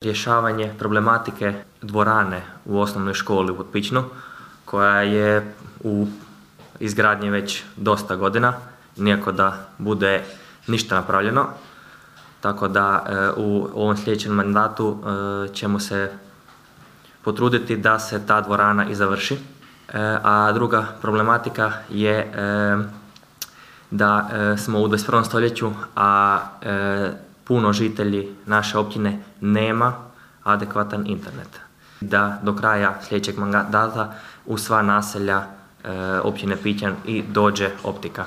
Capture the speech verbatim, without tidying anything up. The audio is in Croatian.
Rješavanje problematike dvorane u osnovnoj školi u Potpičnu, koja je u izgradnji već dosta godina, nijako da bude ništa napravljeno. Tako da u ovom sljedećem mandatu ćemo se potruditi da se ta dvorana i završi. A druga problematika je da smo u dvadeset prvom stoljeću, a puno žitelji naše općine nema adekvatan internet. Da do kraja sljedećeg mandata u sva naselja općine Pićan i dođe optika.